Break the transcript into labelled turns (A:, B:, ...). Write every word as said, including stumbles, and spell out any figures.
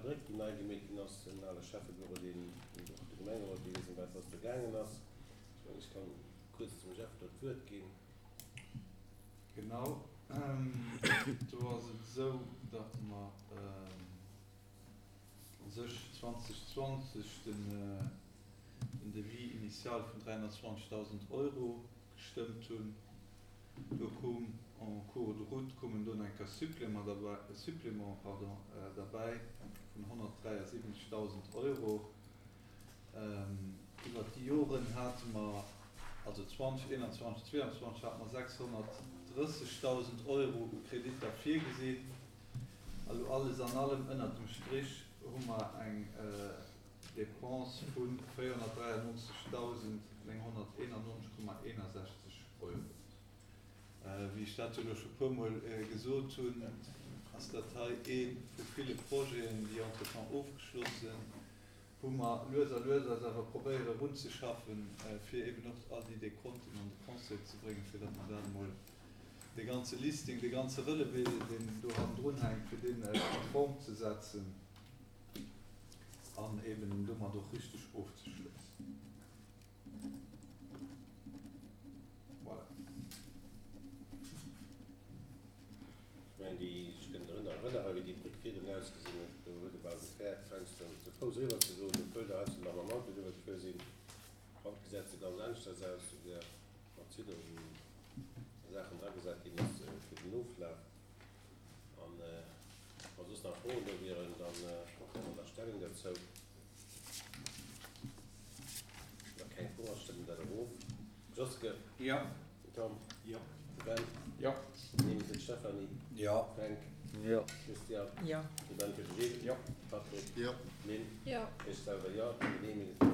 A: Bréck, déi nei gemeet ginn ass, den ale Schäffebüro, deen och de Gemengerot, déi wëssen, wat ass do gaangen ass. Ech mengen, ech kann kuerz dem Jeff do d'Wuert ginn.
B: Genau, do ass et esou, datt mer u sech zweitausendzwanzeg den Devis initial vun dräihunnertzwanzegdausend Euro gestëmmt hunn. Do koum en cours de route koumen do nach eng Kéier Supplément derbäi, Supplément, pardon, derbäi vun honnertdräiasiwwenzegdausend Euro. Iwwert déi Joren hate mer, also zwanzeg eenanzwanzeg, zweeanzwanzeg hate mer sechshonnertdrëssegdausend Euro u Kreditter virgesinn. Elo alles an allem ënnert dem Strich hu mer eng Dépense vu véierhonnertdräiannonzegdausendnénghonnerteenannonzeg Komma eenasechzeg Euro. Wéi ech dat jo elo scho puermol gesot hunn, ass dat hei ee vu ville Projeten, déi entretemps ofgeschloss sinn, wou mer lues a lues eis awer probéiere erunzeschaffen, fir eben och all déi Dekonten an de Conseil ze bréngen, fir datt mer dat emol, dee ganze Listing, dee ganze Relevé, deen do hannendrun hänkt, fir deen konform ze setzen an eben domat och richteg ofzeschléissen. Voilà.
A: Ech mengen, déi, ech kënn drun erënneren, wéi déi Bréck virdrun ausgesinn huet, do huet e bal gefäert, heiansdo ze Fouss eriwwer ze goen, obwuel der heiansdo nach mam Auto driwwer gefuer sinn. Haut gesäit se ganz aneschters aus, souguer mat Zidder, wou Saachen dragesat ginn ass fir den Oflaf. An wa soss nach Froen do wieren, da huele mer da Stellung derzou. Wa keng Fro ass, stëmme mer dat och of. Joske?
B: Jo.
A: Tom?
B: Jo.
A: Ben?
B: Jo.
A: Nehme fir d'Stéphanie.
B: Jo.
A: Fränk?
B: Jo.
A: Christian?
C: Jo.
A: De Ben fir de Gilles?
B: Jo.
A: Patrick?
D: Jo.
A: Lynn?
C: Jo.
A: Ech selwer jo. Genehmige fir